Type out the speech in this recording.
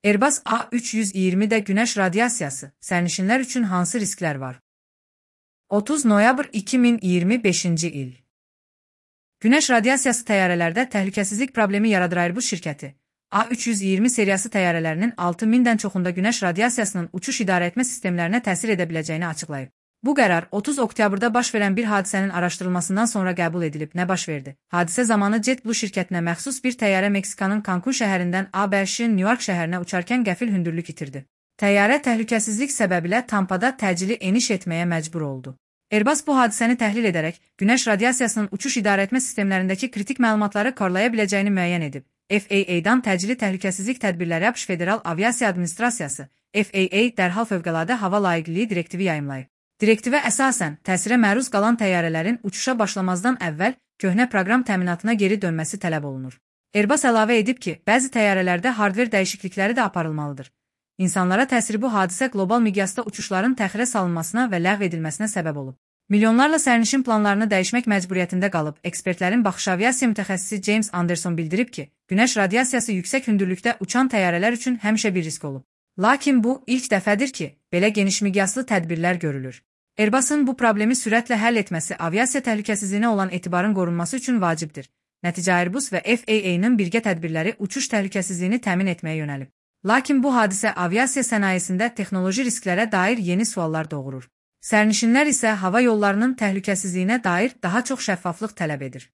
Airbus A320'də günəş radiasiyası, sərnişinlər üçün hansı risklər var? 30 noyabr 2025-ci il. Günəş radiasiyası təyyarələrdə təhlükəsizlik problemi yaradır. Airbus şirkəti A320 seriyası təyyarələrinin 6000-dən çoxunda günəş radiasiyasının uçuş idarəetmə sistemlərinə təsir edə biləcəyini açıqlayıb. Bu qərar 30 oktyabrda baş verən bir hadisənin araşdırılmasından sonra qəbul edilib. Nə baş verdi? Hadisə zamanı JetBlue şirkətinə məxsus bir təyyarə Meksikanın Cancun şəhərindən ABŞ-ın New York şəhərinə uçarkən qəfil hündürlük itirdi. Təyyarə təhlükəsizlik səbəbilə Tampada təcili eniş etməyə məcbur oldu. Airbus bu hadisəni təhlil edərək, günəş radiasiyasının uçuş idarəetmə sistemlərindəki kritik məlumatları korlaya biləcəyini müəyyən edib. FAA-dan təcili təhlükəsizlik tədbirləri ABŞ Federal Aviasiya Administrasiyası, FAA dərhal fövqəladə hava layiqliliyi direktivi yayımlayıb. Direktivə əsasən, təsirə məruz qalan təyyarələrin uçuşa başlamazdan əvvəl köhnə proqram təminatına geri dönməsi tələb olunur. Airbus əlavə edib ki, bəzi təyyarələrdə hardver dəyişiklikləri də aparılmalıdır. İnsanlara təsiri bu hadisə qlobal miqyasda uçuşların təxirə salınmasına və ləğv edilməsinə səbəb olub. Milyonlarla sərnişin planlarını dəyişmək məcburiyyətində qalıb. Ekspertlərin baxış aviasiya mütəxəssisi James Anderson bildirib ki, günəş radiasiyası yüksək hündürlükdə uçan təyyarələr üçün həmişə bir risk olub. Lakin bu, ilk dəfədir ki, belə geniş miqyaslı tədbirlər görülür. Airbus'un bu problemi sürətlə həll etməsi aviasiya təhlükəsizliyinə olan etibarın qorunması üçün vacibdir. Nəticə Airbus və FAA-nın birgə tədbirləri uçuş təhlükəsizliyini təmin etməyə yönəlib. Lakin bu hadisə aviasiya sənayesində texnoloji risklərə dair yeni suallar doğurur. Sərnişinlər isə hava yollarının təhlükəsizliyinə dair daha çox şəffaflıq tələb edir.